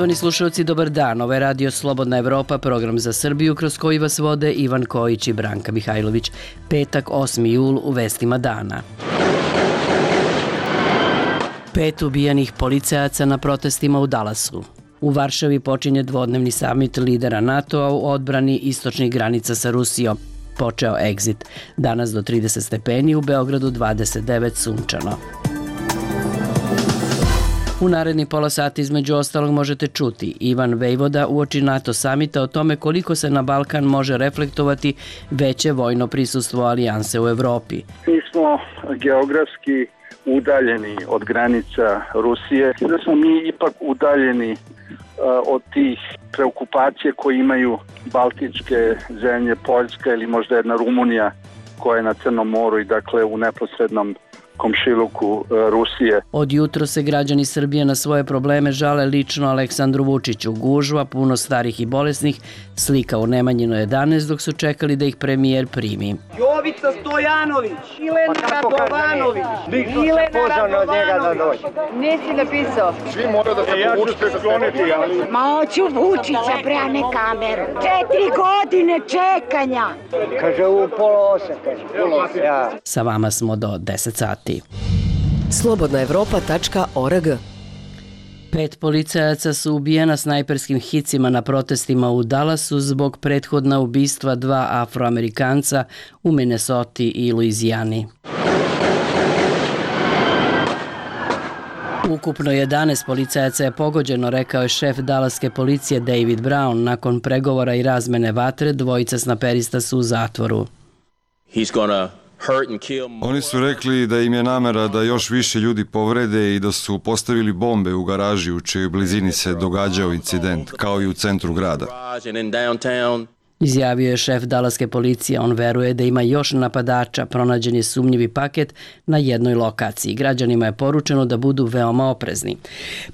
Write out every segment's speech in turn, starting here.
Poštovani slušalci, dobar dan. Ovo je Radio Slobodna Evropa, program za Srbiju kroz koji vas vode Ivan Kojić i Branka Mihajlović. Petak, 8. jul, u vestima dana. 5 ubijenih policajaca na protestima u Dallasu. U Varšavi počinje dvodnevni samit lidera NATO-a u odbrani istočnih granica sa Rusijom. Počeo egzit. Danas do 30 stepeni, u Beogradu 29 sunčano. U naredni pola sata između ostalog možete čuti Ivan Vejvoda uoči NATO samita o tome koliko se na Balkan može reflektovati veće vojno prisustvo alijanse u Evropi. Mi smo geografski udaljeni od granica Rusije, da smo mi ipak udaljeni od tih preokupacije koje imaju baltičke zemlje, Poljska ili možda jedna Rumunija koja je na Crnom moru i dakle u neposrednom komšiluku Rusije. Od jutro se građani Srbije na svoje probleme žale lično Aleksandru Vučiću. Gužva, puno starih i bolesnih, slika u Nemanjinu 11 dok su čekali da ih premijer primi. Jovica Stojanović, Milena Radovanović, od njega da dođe. Nisi napisao. Svi moraju da se povučete skloniti, ali... Ma hoću Vučića, bre, a ne kameru. 4 godine čekanja. Kaže u pola 8. Ja. Sa vama smo do 10 sati. Slobodnaevropa.org 5 policajaca su ubijena snajperskim hicima na protestima u Dallasu zbog prethodna ubistva 2 Afroamerikanca u Minnesoti i Luizijani. Ukupno 11 policajaca je pogođeno, rekao je šef Dallaske policije David Brown. Nakon pregovora i razmene vatre, dvojica snaperista su u zatvoru. Oni su rekli da im je namera da još više ljudi povrede i da su postavili bombe u garaži u čijoj blizini se događao incident, kao i u centru grada. Izjavio je šef Dallaske policije. On veruje da ima još napadača. Pronađen je sumnjivi paket na jednoj lokaciji. Građanima je poručeno da budu veoma oprezni.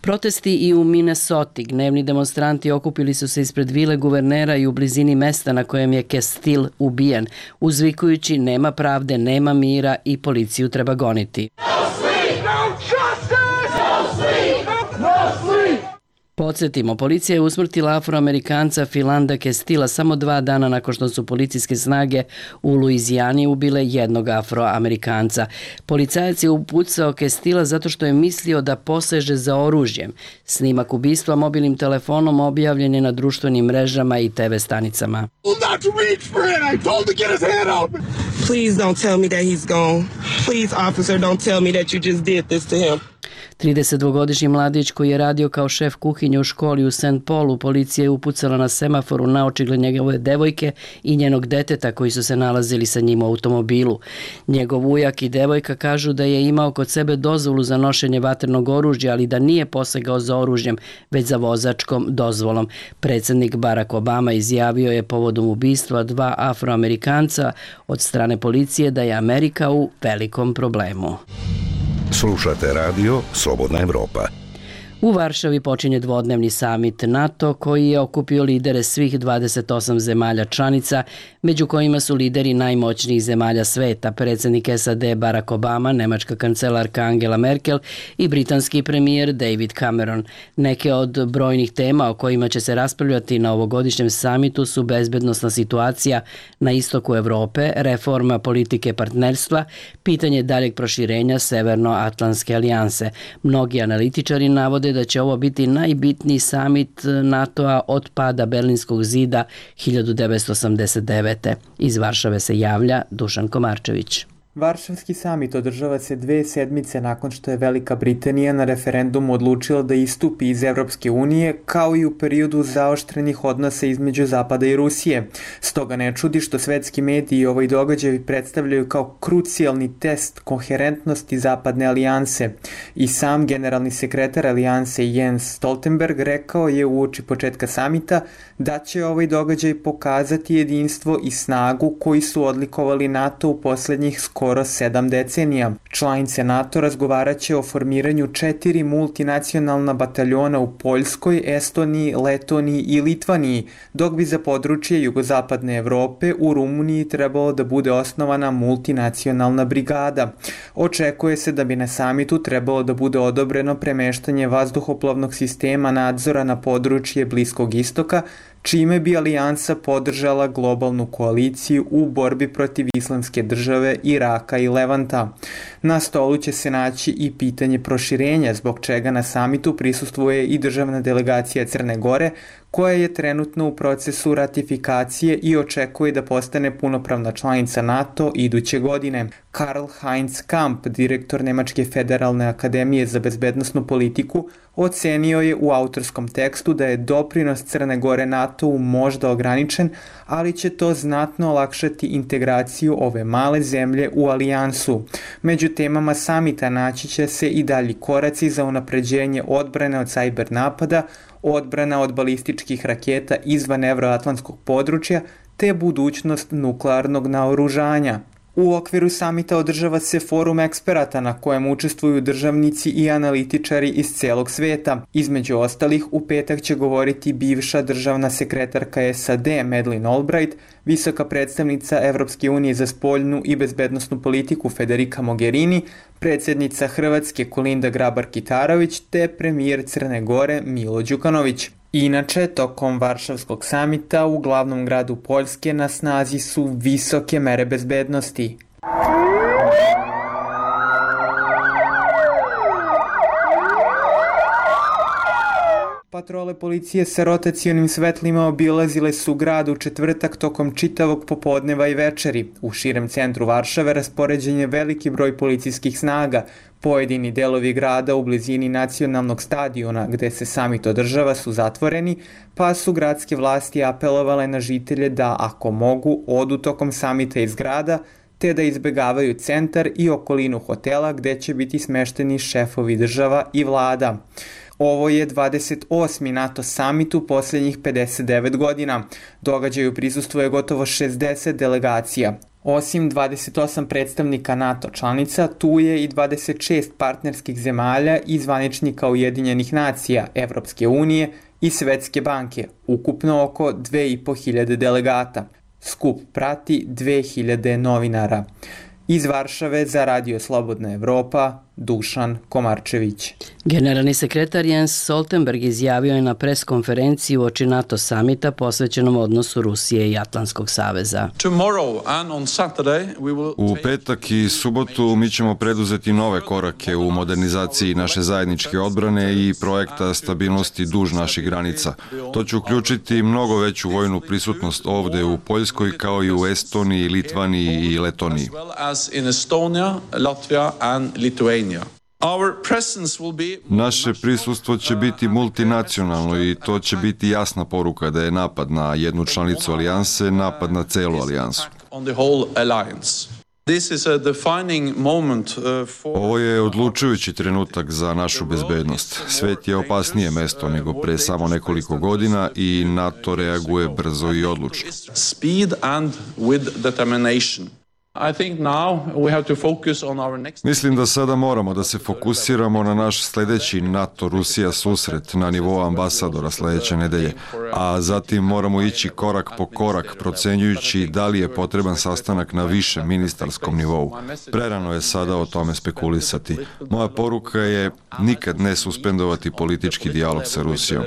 Protesti i u Minnesoti. Gnevni demonstranti okupili su se ispred vile guvernera i u blizini mesta na kojem je Castile ubijen, uzvikujući nema pravde, nema mira i policiju treba goniti. Podsjetimo, policija je usmrtila Afroamerikanca Philanda Castila samo 2 dana nakon što su policijske snage u Luizijani ubile jednog Afroamerikanca. Policajac je upucao Castila zato što je mislio da poseže za oružjem. Snimak ubistva mobilnim telefonom objavljen je na društvenim mrežama i TV stanicama. Please don't tell me that he's gone. Please, officer, don't tell me that you just did this to him. 32-godišnji mladić koji je radio kao šef kuhinje u školi u St. Paulu, policija je upucala na semaforu na očigled njegove devojke i njenog deteta koji su se nalazili sa njim u automobilu. Njegov ujak i devojka kažu da je imao kod sebe dozvolu za nošenje vatrenog oružja, ali da nije posegao za oružjem, već za vozačkom dozvolom. Predsjednik Barack Obama izjavio je povodom ubistva 2 Afroamerikanca od strane policije da je Amerika u velikom problemu. Slušate radio Slobodna Evropa. U Varšavi počinje dvodnevni samit NATO koji je okupio lidere svih 28 zemalja članica, među kojima su lideri najmoćnijih zemalja sveta, predsjednik SAD Barack Obama, nemačka kancelarka Angela Merkel i britanski premijer David Cameron. Neke od brojnih tema o kojima će se raspravljati na ovogodišnjem samitu su bezbednosna situacija na istoku Evrope, reforma politike partnerstva, pitanje daljeg proširenja Severnoatlantske alijanse. Mnogi analitičari navode da će ovo biti najbitniji samit NATO-a od pada Berlinskog zida 1989. Iz Varšave se javlja Dušan Komarčević. Varšavski samit održava se 2 sedmice nakon što je Velika Britanija na referendumu odlučila da istupi iz Evropske unije, kao i u periodu zaoštrenih odnosa između Zapada i Rusije. Stoga ne čudi što svetski mediji ovaj događaj predstavljaju kao krucijalni test koherentnosti Zapadne alijanse. I sam generalni sekretar alijanse Jens Stoltenberg rekao je uoči početka samita da će ovaj događaj pokazati jedinstvo i snagu koji su odlikovali NATO u posljednjih skoro skoro 7 decenija. Članice NATO razgovaraće o formiranju 4 multinacionalna bataljona u Poljskoj, Estoniji, Letoniji i Litvaniji, dok bi za područje jugozapadne Evrope u Rumuniji trebalo da bude osnovana multinacionalna brigada. Očekuje se da bi na samitu trebalo da bude odobreno premeštanje vazduhoplovnog sistema nadzora na područje Bliskog istoka, čime bi alijansa podržala globalnu koaliciju u borbi protiv Islamske države, Iraka i Levanta. Na stolu će se naći i pitanje proširenja, zbog čega na samitu prisustvuje i državna delegacija Crne Gore, koja je trenutno u procesu ratifikacije i očekuje da postane punopravna članica NATO iduće godine. Karl-Heinz Kamp, direktor Nemačke federalne akademije za bezbednosnu politiku, ocenio je u autorskom tekstu da je doprinos Crne Gore NATO-u možda ograničen, ali će to znatno olakšati integraciju ove male zemlje u alijansu. Među temama samita naći će se i dalji koraci za unapređenje odbrane od sajber napada, odbrana od balističkih raketa izvan evroatlantskog područja, te budućnost nuklearnog naoružanja. U okviru samita održava se forum eksperata na kojem učestvuju državnici i analitičari iz celog sveta. Između ostalih, u petak će govoriti bivša državna sekretarka SAD Madeleine Albright, visoka predstavnica Evropske unije za spoljnu i bezbednosnu politiku Federica Mogherini, predsjednica Hrvatske Kolinda Grabar-Kitarović te premijer Crne Gore Milo Đukanović. Inače, tokom Varšavskog samita u glavnom gradu Poljske na snazi su visoke mere bezbednosti. Patrole policije sa rotacionim svetlima obilazile su grad u četvrtak tokom čitavog popodneva i večeri. U širem centru Varšave raspoređen je veliki broj policijskih snaga. Pojedini delovi grada u blizini nacionalnog stadiona gde se samit održava su zatvoreni, pa su gradske vlasti apelovale na žitelje da, ako mogu, odu tokom samita iz grada, te da izbegavaju centar i okolinu hotela gde će biti smešteni šefovi država i vlada. Ovo je 28. NATO samit u posljednjih 59 godina. Događaju prisustvuje gotovo 60 delegacija. Osim 28 predstavnika NATO članica, tu je i 26 partnerskih zemalja i zvaničnika Ujedinjenih nacija, Evropske unije i Svetske banke, ukupno oko 2500 delegata. Skup prati 2000 novinara. Iz Varšave za Radio Slobodna Evropa, Dušan Komarčević. Generalni sekretar Jens Stoltenberg izjavio je na preskonferenciji uoči NATO samita posvećenom odnosu Rusije i Atlantskog saveza. U petak i subotu mi ćemo preduzeti nove korake u modernizaciji naše zajedničke odbrane i projekta stabilnosti duž naših granica. To će uključiti mnogo veću vojnu prisutnost ovde u Poljskoj kao i u Estoniji, Litvaniji i Letoniji. Naše prisustvo će biti multinacionalno i to će biti jasna poruka da je napad na jednu članicu alijanse napad na celu alijansu. Ovo je odlučujući trenutak za našu bezbednost. Svet je opasnije mesto nego pre samo nekoliko godina i NATO reaguje brzo i odlučno. Mislim da sada moramo da se fokusiramo na naš sledeći NATO-Rusija susret na nivou ambasadora sledeće nedelje, a zatim moramo ići korak po korak procenjujući da li je potreban sastanak na višem ministarskom nivou. Prerano je sada o tome spekulisati. Moja poruka je nikad ne suspendovati politički dijalog sa Rusijom.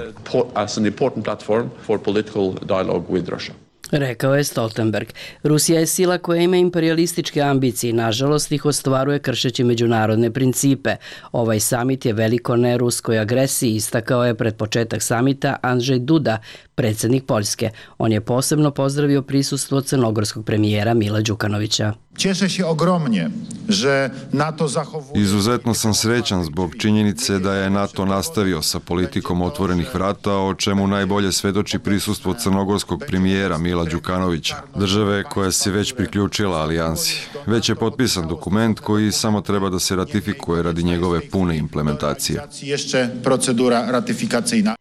Rekao je Stoltenberg. Rusija je sila koja ima imperialističke ambicije i nažalost ih ostvaruje kršeći međunarodne principe. Ovaj samit je veliko ne ruskoj agresiji, istakao je pred početak samita Andrzej Duda, predsjednik Poljske. On je posebno pozdravio prisustvo crnogorskog premijera Mila Đukanovića. Cieszę się ogromnie, że NATO zachowuje... Izuzetno sam srećan zbog činjenice da je NATO nastavio sa politikom otvorenih vrata, o čemu najbolje svedoči prisustvo crnogorskog premijera Mila Đukanovića, države koja se već priključila alijansi. Već je potpisan dokument koji samo treba da se ratifikuje radi njegove pune implementacije. Jeszcze procedura ratyfikacyjna.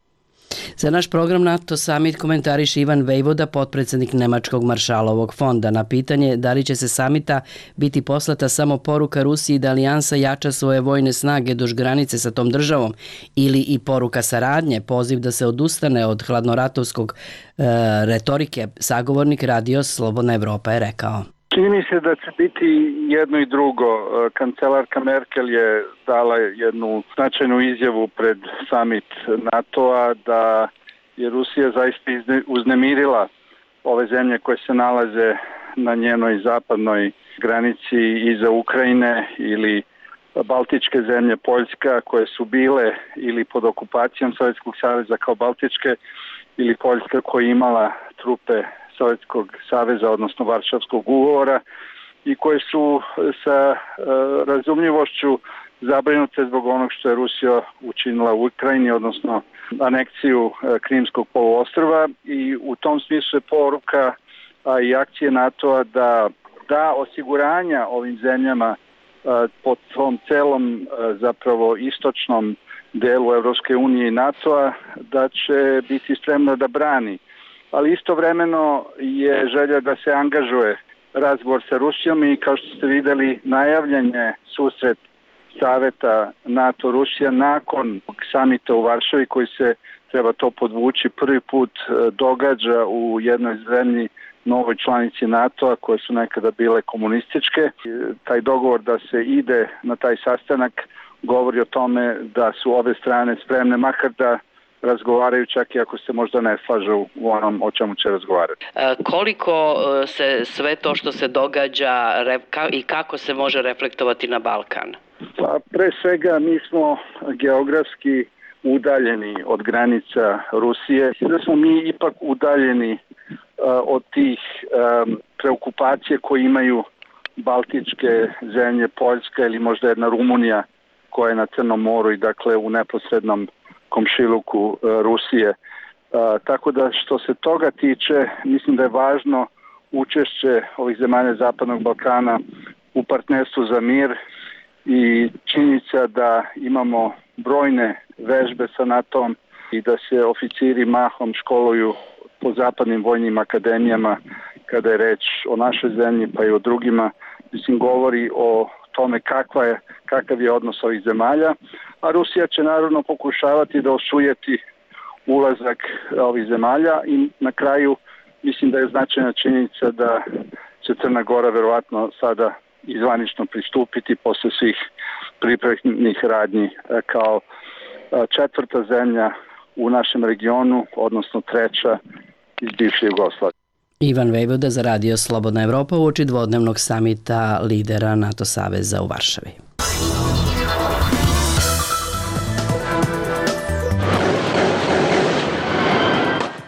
Za naš program NATO Summit komentariše Ivan Vejvoda, potpredsednik Nemačkog maršalovog fonda. Na pitanje da li će se samita biti poslata samo poruka Rusiji da alijansa jača svoje vojne snage duž granice sa tom državom ili i poruka saradnje, poziv da se odustane od hladnoratovskog retorike, sagovornik Radio Slobodna Evropa je rekao. Čini mi se da će biti jedno i drugo. Kancelarka Merkel je dala jednu značajnu izjavu pred summit NATO-a da je Rusija zaista uznemirila ove zemlje koje se nalaze na njenoj zapadnoj granici iza Ukrajine ili Baltičke zemlje, Poljska, koje su bile ili pod okupacijom Sovjetskog saveza kao Baltičke ili Poljska koja je imala trupe Sovjetskog saveza, odnosno Varšavskog ugovora i koje su sa razumljivošću zabrinute zbog onog što je Rusija učinila u Ukrajini, odnosno aneksiju Krimskog poluostrva i u tom smislu je poruka i akcije NATO-a da osiguranja ovim zemljama po tom celom zapravo istočnom delu Evropske unije i NATO-a da će biti spremna da brani. Ali istovremeno je želja da se angažuje razgovor sa Rusijom i kao što ste videli najavljen je susret saveta NATO-Rusija nakon samita u Varšavi koji se, treba to podvući, prvi put događa u jednoj zemlji novoj članici NATO-a koje su nekada bile komunističke. Taj dogovor da se ide na taj sastanak govori o tome da su ove strane spremne makar da razgovaraju čak i ako se možda ne slažu u onom o čemu će razgovarati. Koliko se sve to što se događa i kako se može reflektovati na Balkan? Pa pre svega mi smo geografski udaljeni od granica Rusije. Da smo mi ipak udaljeni od tih preokupacije koje imaju Baltičke zemlje, Poljska ili možda jedna Rumunija koja je na Crnom moru i dakle u neposrednom komšiluku Rusije. Tako da što se toga tiče, mislim da je važno učešće ovih zemalja Zapadnog Balkana u partnerstvu za mir i činjenica da imamo brojne vežbe sa NATO-om i da se oficiri mahom školuju po zapadnim vojnim akademijama kada je reč o našoj zemlji pa i o drugima, mislim govori o tome kakav je odnos ovih zemalja, a Rusija će naravno pokušavati da osujeti ulazak ovih zemalja i na kraju mislim da je značajna činjenica da će Crna Gora verovatno sada izvanično pristupiti posle svih pripremnih radnji kao četvrta zemlja u našem regionu, odnosno treća iz bivše Jugoslavije. Ivan Vejvoda za Radio Slobodna Evropa uoči dvodnevnog samita lidera NATO saveza u Varšavi.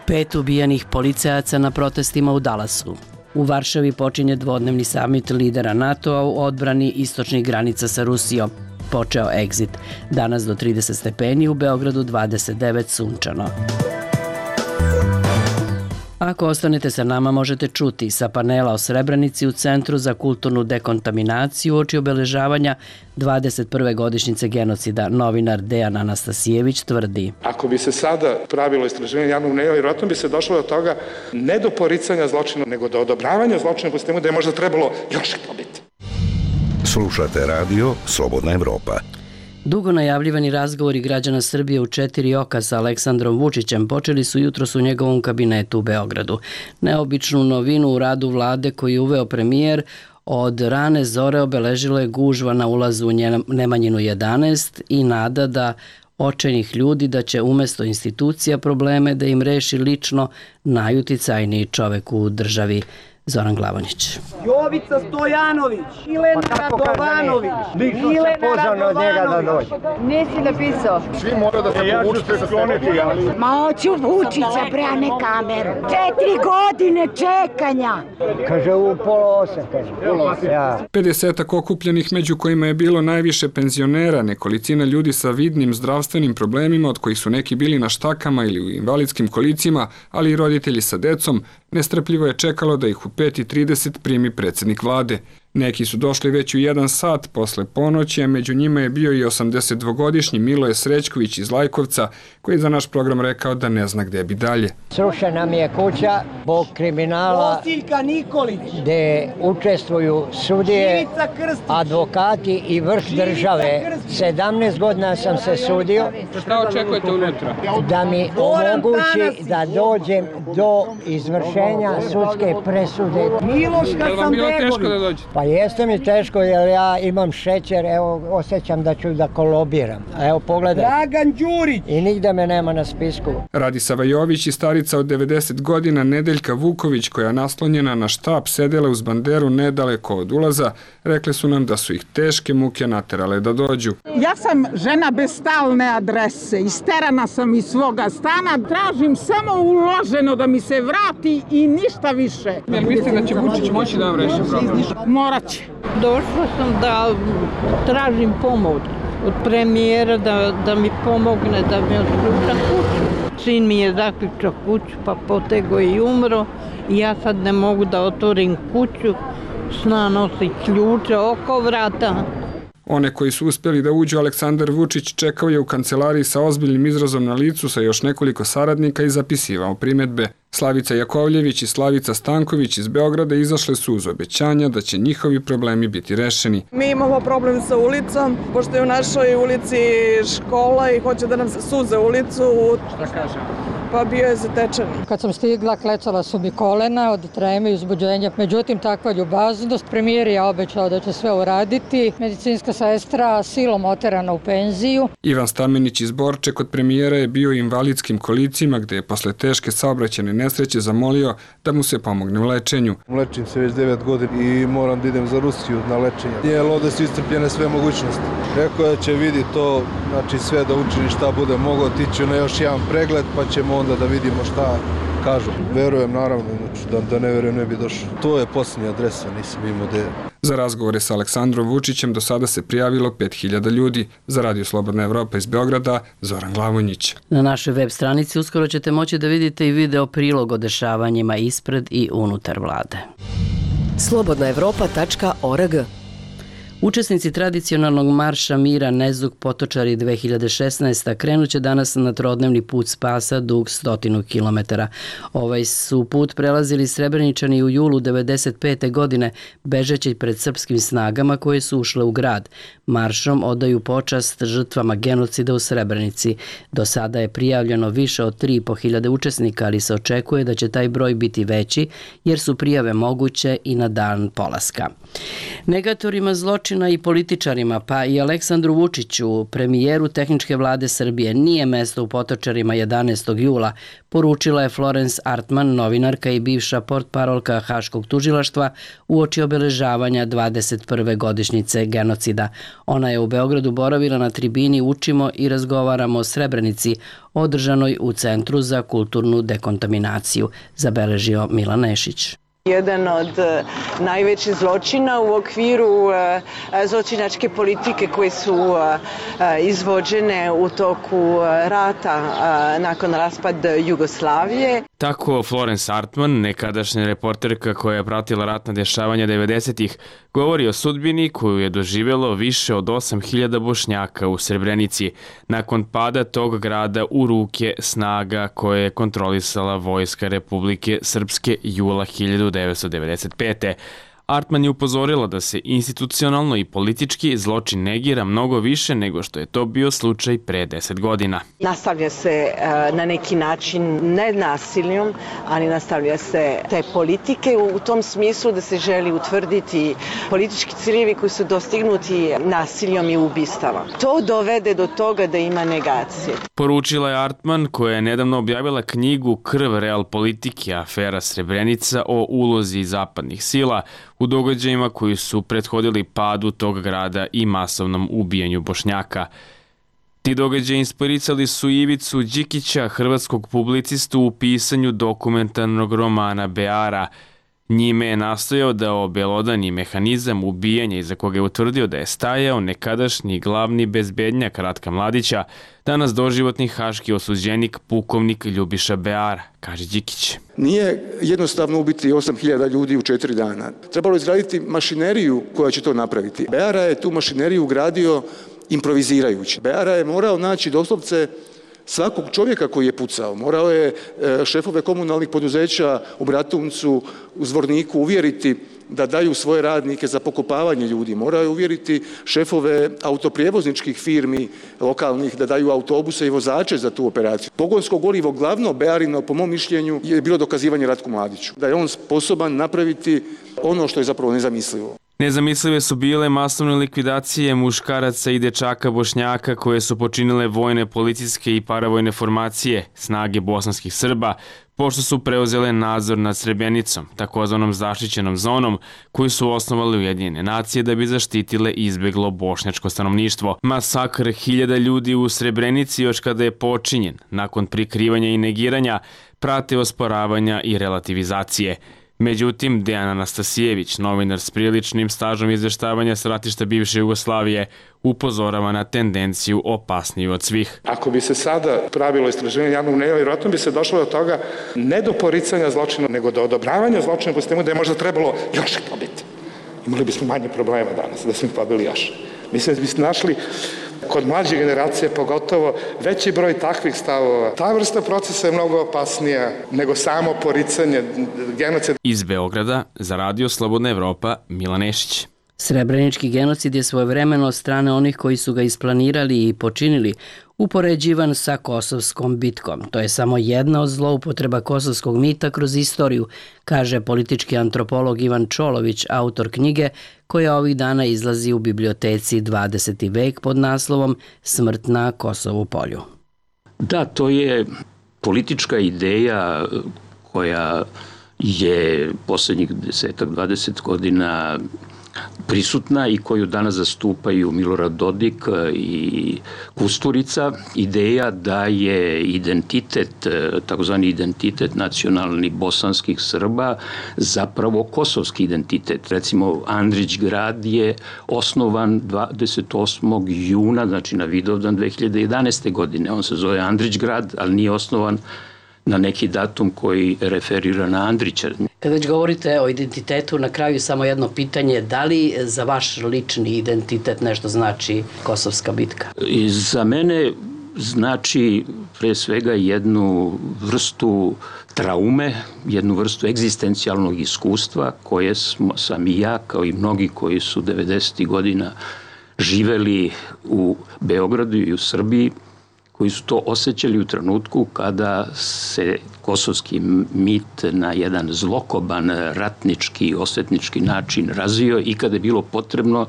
Pet ubijenih policajaca na protestima u Dallasu. U Varšavi počinje dvodnevni samit lidera NATO-a u odbrani istočnih granica sa Rusijom. Počeo exit. Danas do 30 stepeni, u Beogradu 29 sunčano. Ako ostanete sa nama, možete čuti sa panela o Srebrenici u Centru za kulturnu dekontaminaciju uoči obeležavanja 21. godišnjice genocida. Novinar Dejan Anastasijević tvrdi. Ako bi se sada pravilo istraživanje javnog mnjenja, vjerojatno bi se došlo do toga ne do poricanja zločina, nego do odobravanja zločina po sistemu da je možda trebalo još pobiti. Slušate radio Slobodna Evropa. Dugo najavljivani razgovori građana Srbije u 4 oka sa Aleksandrom Vučićem počeli su jutros u njegovom kabinetu u Beogradu. Neobičnu novinu u radu vlade koju je uveo premijer od rane zore obeležilo je gužva na ulazu u Nemanjinu 11 i nada da očajnih ljudi da će umesto institucija probleme da im reši lično najuticajniji čovek u državi. Zoran Glavonić. Jovica Stojanović, Milena Radovanović, Milena Radovanović. Nisi napisao. Svi mora da se povučete skloniti, ali... Ma hoću Vučića, bre, a ne kameru. 4 godine čekanja. Kaže u 7:30, kaže. Ja. 50 okupljenih, među kojima je bilo najviše penzionera, nekolicina ljudi sa vidnim zdravstvenim problemima, od kojih su neki bili na štakama ili u invalidskim kolicima, ali i roditelji sa decom, nestrpljivo je čekalo da ih u 5:30 primi predsjednik vlade. Neki su došli već u 1 sat posle ponoći, a među njima je bio i 82-godišnji Miloje Srećković iz Lajkovca, koji je za naš program rekao da ne zna gde bi dalje. Srušena mi je kuća zbog kriminala gde učestvuju sudije, advokati i vrh države. 17 godina sam se sudio. Šta očekujete unutra? Da mi omogući da dođem do izvršenja sudske presude. Je li vam bilo teško da dođete? Pa jeste mi teško jer ja imam šećer, evo osjećam da ću da kolobiram. Evo pogledaj. Dragan Đurić! I nigde me nema na spisku. Radisa Vajović i starica od 90 godina Nedeljka Vuković, koja naslonjena na štap sedela uz banderu nedaleko od ulaza, rekli su nam da su ih teške muke naterale da dođu. Ja sam žena bez stalne adrese, isterana sam iz svoga stana, tražim samo uloženo da mi se vrati i ništa više. Jel mislite da će Vučić moći da vam reši problem? Morat će. Došla sam da tražim pomoć od premijera da mi pomogne da mi otključa kuću. Sin mi je zaključao kuću pa potego i umro i ja sad ne mogu da otvorim kuću, sna nosi ključe oko vrata. One koji su uspjeli da uđu, Aleksandar Vučić čekao je u kancelariji sa ozbiljnim izrazom na licu sa još nekoliko saradnika i zapisivao primjedbe. Slavica Jakovljević i Slavica Stanković iz Beograda izašle su uz obećanja da će njihovi problemi biti rešeni. Mi imamo problem sa ulicom, pošto je u našoj ulici škola i hoće da nam suze ulicu. Šta kaže? Pa bio je zatečen. Kad sam stigla, klecala su mi kolena od treme i uzbuđenja. Međutim, takva ljubaznost. Premijer je obećao da će sve uraditi. Medicinska sestra silom oterana u penziju. Ivan Stamenić iz Borče kod premijera je bio u invalidskim kolicima, gde je posle teške saobraćajne nesreće zamolio da mu se pomogne u lečenju. Lečim se već 9 godina i moram da idem za Rusiju na lečenje. Jer ovde su iscrpljene sve mogućnosti. Rekao je da će vidi to, znači sve da učini šta bude mogao, tiću na još jedan pregled pa ćemo onda da vidimo šta kažu. Verujem naravno, znači da ne verujem ne bi došao. To je posljednja adresa, nisam imao gde. Za razgovore sa Aleksandrom Vučićem do sada se prijavilo 5000 ljudi. Za Radio Slobodna Evropa iz Beograda, Zoran Glavonjić. Na našoj web stranici uskoro ćete moći da vidite i video prilog o dešavanjima ispred i unutar vlade. slobodnaevropa.org. Učesnici tradicionalnog marša mira Nezuk Potočari 2016. krenuće danas na trodnevni put spasa dug 100 km. Ovaj su put prelazili Srebreničani u julu 1995. godine, bežeći pred srpskim snagama koje su ušle u grad. Maršom odaju počast žrtvama genocida u Srebrenici. Do sada je prijavljeno više od 3.500 učesnika, ali se očekuje da će taj broj biti veći, jer su prijave moguće i na dan polaska. Negatorima zločina i političarima, pa i Aleksandru Vučiću, premijeru tehničke vlade Srbije, nije mesto u Potočarima 11. jula, poručila je Florence Artman, novinarka i bivša portparolka Haškog tužilaštva, uoči obeležavanja 21. godišnjice genocida. Ona je u Beogradu boravila na tribini Učimo i razgovaramo o Srebrenici, održanoj u Centru za kulturnu dekontaminaciju, zabeležio Milan Nešić. Jedan od najvećih zločina u okviru zločinačke politike koje su izvođene u toku rata nakon raspada Jugoslavije. Tako Florence Artman, nekadašnja reporterka koja je pratila ratna dešavanja 90-ih, govori o sudbini koju je doživjelo više od 8000 Bošnjaka u Srebrenici nakon pada tog grada u ruke snaga koje je kontrolisala Vojska Republike Srpske jula 1995. Artman je upozorila da se institucionalno i politički zločin negira mnogo više nego što je to bio slučaj pre 10 godina. Nastavlja se na neki način ne nasiljom, ali nastavlja se te politike u tom smislu da se želi utvrditi politički ciljevi koji su dostignuti nasiljom i ubistava. To dovede do toga da ima negacije. Poručila je Artman, koja je nedavno objavila knjigu Krv real politike, afera Srebrenica o ulozi zapadnih sila u događajima koji su prethodili padu tog grada i masovnom ubijanju Bošnjaka. Ti događaji inspirisali su Ivicu Đikića, hrvatskog publicistu, u pisanju dokumentarnog romana Beara. Njime je nastojao da obelodani mehanizam ubijanja iza koga je utvrdio da je stajao nekadašnji glavni bezbednjak Ratka Mladića, danas doživotni haški osuđenik pukovnik Ljubiša Beara, kaže Đikić. Nije jednostavno ubiti 8.000 ljudi u 4 dana. Trebalo je izgraditi mašineriju koja će to napraviti. Beara je tu mašineriju ugradio improvizirajući. Beara je morao naći doslovce svakog čovjeka koji je pucao. Morao je šefove komunalnih poduzeća u Bratuncu, u Zvorniku uvjeriti da daju svoje radnike za pokopavanje ljudi. Morao je uvjeriti šefove autoprijevozničkih firmi lokalnih da daju autobuse i vozače za tu operaciju. Pogonsko gorivo glavno Bearino, po mom mišljenju, je bilo dokazivanje Ratku Mladiću. Da je on sposoban napraviti ono što je zapravo nezamislivo. Nezamislive su bile masovne likvidacije muškaraca i dečaka Bošnjaka koje su počinile vojne, policijske i paravojne formacije, snage bosanskih Srba, pošto su preuzele nadzor nad Srebrenicom, takozvanom zaštićenom zonom, koju su osnovali Ujedinjene nacije da bi zaštitile i izbeglo bošnjačko stanovništvo. Masakr hiljada ljudi u Srebrenici još kada je počinjen, nakon prikrivanja i negiranja, prate osporavanja i relativizacije. Međutim, Dejan Anastasijević, novinar s priličnim stažom izveštavanja s ratišta bivše Jugoslavije, upozorava na tendenciju opasniju od svih. Ako bi se sada pravilo istraživanje javnog mnjenja, vjerojatno bi se došlo do toga ne do poricanja zločina, nego do odobravanja zločina po sistemu da je možda trebalo još ih pobiti. Imali bismo manje problema danas, da smo ih pobili još. Mislim da bismo našli kod mlađe generacije pogotovo veći broj takvih stavova. Ta vrsta procesa je mnogo opasnija nego samo poricanje genocida. Iz Beograda za Radio Slobodna Evropa, Milan Nešić. Srebrenički genocid je svojevremeno od strane onih koji su ga isplanirali i počinili upoređivan sa Kosovskom bitkom. To je samo jedna od zloupotreba kosovskog mita kroz istoriju, kaže politički antropolog Ivan Čolović, autor knjige koja ovih dana izlazi u biblioteci 20. vek pod naslovom Smrt na Kosovu polju. Da, to je politička ideja koja je posljednjih 10-20 godina prisutna i koju danas zastupaju Milorad Dodik i Kusturica. Ideja da je identitet, takozvani identitet nacionalni bosanskih Srba zapravo kosovski identitet. Recimo, Andrić grad je osnovan 28. juna, znači na Vidovdan 2011. godine. On se zove Andrić grad, ali nije osnovan na neki datum koji referira na Andrića. Kad već govorite o identitetu, na kraju samo jedno pitanje, da li za vaš lični identitet nešto znači Kosovska bitka? I za mene znači pre svega jednu vrstu traume, jednu vrstu egzistencijalnog iskustva koje sam i ja, kao i mnogi koji su 90. godina živeli u Beogradu i u Srbiji, koji su to osjećali u trenutku kada se kosovski mit na jedan zlokoban, ratnički, osvetnički način razvio i kada je bilo potrebno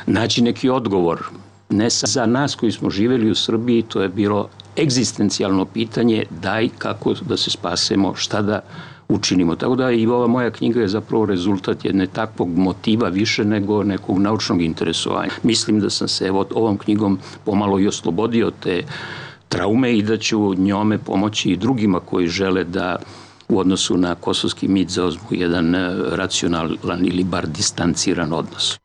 naći neki odgovor. Ne za nas koji smo živjeli u Srbiji, to je bilo egzistencijalno pitanje, daj kako da se spasemo, šta da učinimo. Tako da i ova moja knjiga je zapravo rezultat jedne takvog motiva više nego nekog naučnog interesovanja. Mislim da sam se ovom knjigom pomalo i oslobodio te traume i da ću njome pomoći i drugima koji žele da u odnosu na kosovski mit zauzmu jedan racionalan ili bar distanciran odnos.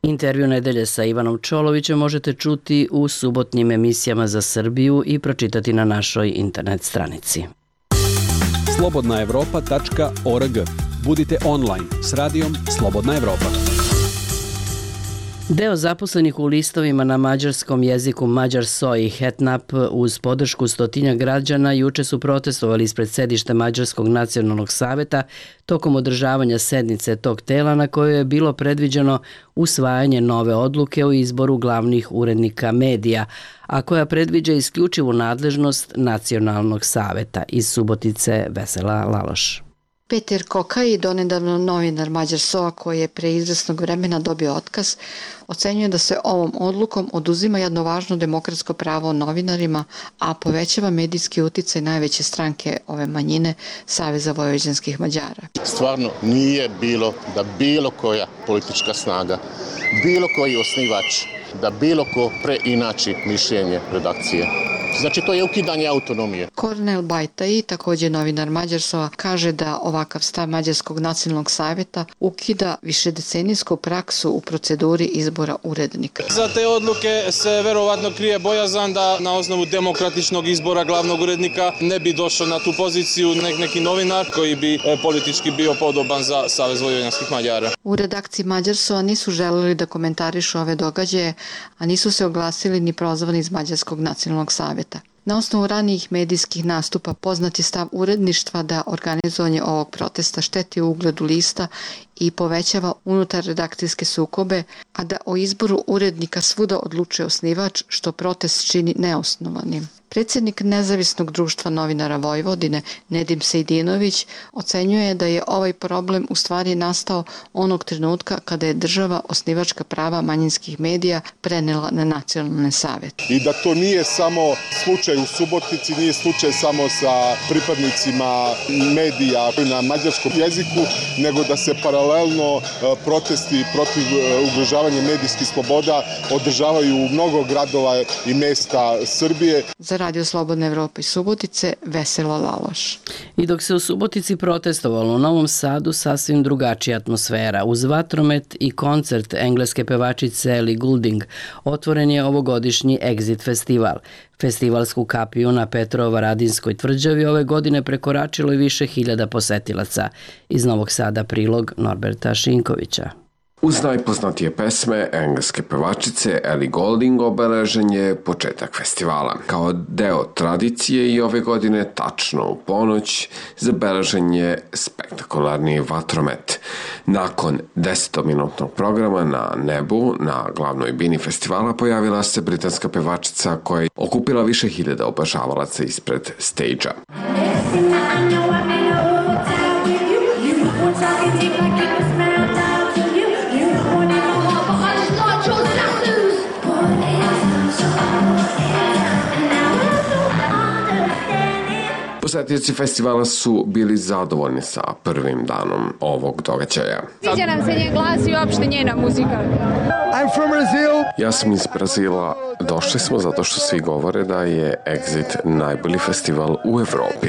Intervju nedelje sa Ivanom Čolovićem možete čuti u subotnjim emisijama za Srbiju i pročitati na našoj internet stranici. slobodnaevropa.org. Budite online s radijom Slobodna Evropa. Deo zaposlenih u listovima na mađarskom jeziku Mađar Soj i Hetnap uz podršku 100 građana juče su protestovali ispred sedišta Mađarskog nacionalnog saveta tokom održavanja sednice tog tela na kojoj je bilo predviđeno usvajanje nove odluke o izboru glavnih urednika medija, a koja predviđa isključivu nadležnost nacionalnog saveta. Iz Subotice Vesela Laloš. Peter Kokaj, donedavno novinar Mađar SOA koji je pre izvesnog vremena dobio otkaz, ocenjuje da se ovom odlukom oduzima jedno važno demokratsko pravo novinarima, a povećava medijski uticaj najveće stranke ove manjine, Saveza vojvođanskih Mađara. Stvarno nije bilo da bilo koja politička snaga, bilo koji osnivač, da bilo ko preinači mišljenje redakcije. Znači to je ukidanje autonomije. Kornel Bajtai, također novinar Mađarsova, kaže da ovakav stav Mađarskog nacionalnog savjeta ukida višedecenijsku praksu u proceduri izbora urednika. Za te odluke se verovatno krije bojazan da na osnovu demokratičnog izbora glavnog urednika ne bi došao na tu poziciju neki novinar koji bi politički bio podoban za Savez vojvođanskih Mađara. U redakciji Mađarsova nisu želeli da komentarišu ove događaje, a nisu se oglasili ni prozvani iz Mađarskog nacionalnog savjeta. Na osnovu ranijih medijskih nastupa poznat je stav uredništva da organizovanje ovog protesta šteti ugledu lista i povećava unutar redakcijske sukobe, a da o izboru urednika svuda odlučuje osnivač, što protest čini neosnovanim. Predsjednik Nezavisnog društva novinara Vojvodine, Nedim Sejdinović, ocenjuje da je ovaj problem u stvari nastao onog trenutka kada je država osnivačka prava manjinskih medija prenela na nacionalne savjete. I da to nije samo slučaj u Subotici, nije slučaj samo sa pripadnicima medija na mađarskom jeziku, nego da se paralelno protesti protiv ugrožavanja medijskih sloboda održavaju u mnogo gradova i mesta Srbije. Za Radio Slobodna Evropa iz Subotice, Vesela Laloš. I dok se u Subotici protestovalo, u Novom Sadu sasvim drugačija atmosfera. Uz vatromet i koncert engleske pevačice Ellie Goulding otvoren je ovogodišnji Exit festival. Festivalsku kapiju na Petrovaradinskoj tvrđavi ove godine prekoračilo je više hiljada posetilaca. Iz Novog Sada prilog Norberta Šinkovića. Uz najpoznatije pesme engleske pevačice Ellie Goulding obeležen je početak festivala. Kao deo tradicije i ove godine tačno u ponoć zabeležen je spektakularni vatromet. Nakon 10-minutnog programa na nebu, na glavnoj bini festivala, pojavila se britanska pevačica koja je okupila više hiljada obožavalaca ispred stage-a. Posetioci festivala su bili zadovoljni sa prvim danom ovog događaja. Sviđa nam se njen glas i uopšte njena muzika. I'm from Brazil. Ja sam iz Brazila. Došli smo zato što svi govore da je Exit najbolji festival u Evropi.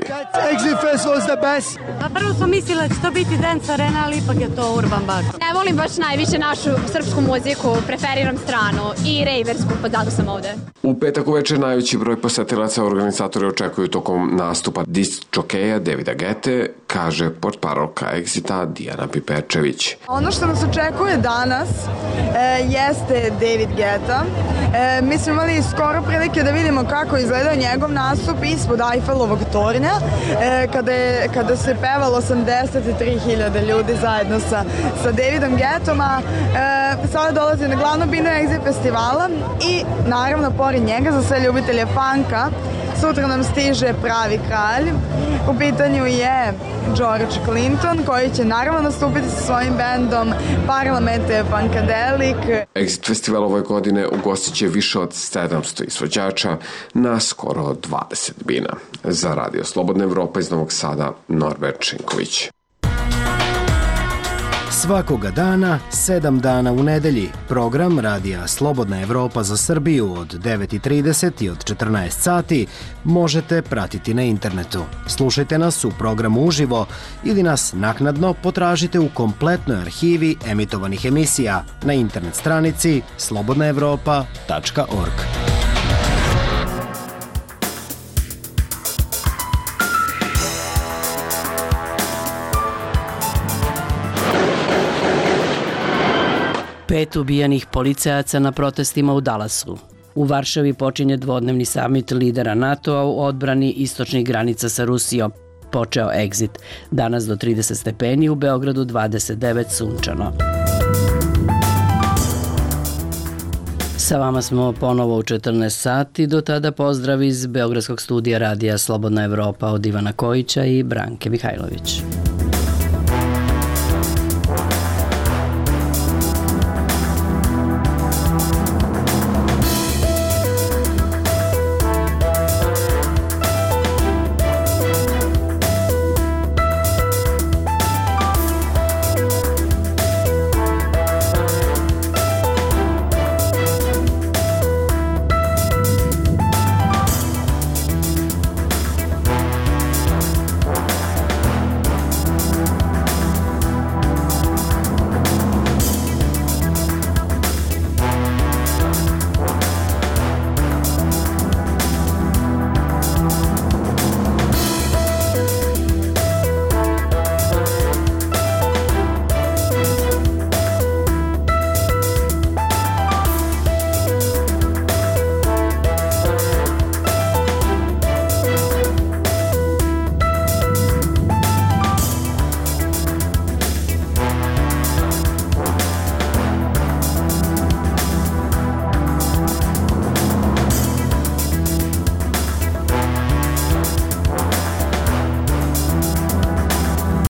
Exit Festival is the best. A prvo smo mislili da će to biti Dance Arena, ali ipak je to Urban Bar. Ne volim baš najviše našu srpsku muziku, preferiram stranu i rejversku, pa zato sam ovde. U petak uveče najveći broj posetilaca organizatori očekuju tokom nastupa disk jokeja Davida Gete, kaže portparolka Exita Dijana Piperčević. Ono što nas očekuje danas jeste David Guetta. Mi smo imali skoro prilike da vidimo kako je izgledao njegov nastup ispod Eiffelovog tornja, kada se pevalo 83.000 ljudi zajedno sa Davidom Guettom, a sada dolazi na glavnu binu Exit festivala i naravno pored njega za sve ljubitelje funka sutra nam stiže pravi kralj. U pitanju je George Clinton koji će naravno nastupiti sa svojim bendom Parlamente Funkadelic. Exit festival ove godine ugostit će više od 700 izvođača na skoro 20 bina. Za Radio Slobodna Evropa iz Novog Sada, Norbert Šinković. Svakoga dana, 7 dana u nedelji, program Radija Slobodna Evropa za Srbiju od 9:30 i od 14 sati možete pratiti na internetu. Slušajte nas u programu uživo ili nas naknadno potražite u kompletnoj arhivi emitovanih emisija na internet stranici slobodnaevropa.org. Pet ubijenih policajaca na protestima u Dallasu. U Varšavi počinje dvodnevni samit lidera NATO-a u odbrani istočnih granica sa Rusijom. Počeo Exit. Danas do 30 stepeni, u Beogradu 29 sunčano. Sa vama smo ponovo u 14 sati. Do tada pozdrav iz Beogradskog studija Radija Slobodna Evropa od Ivana Kojića i Branke Mihajlović.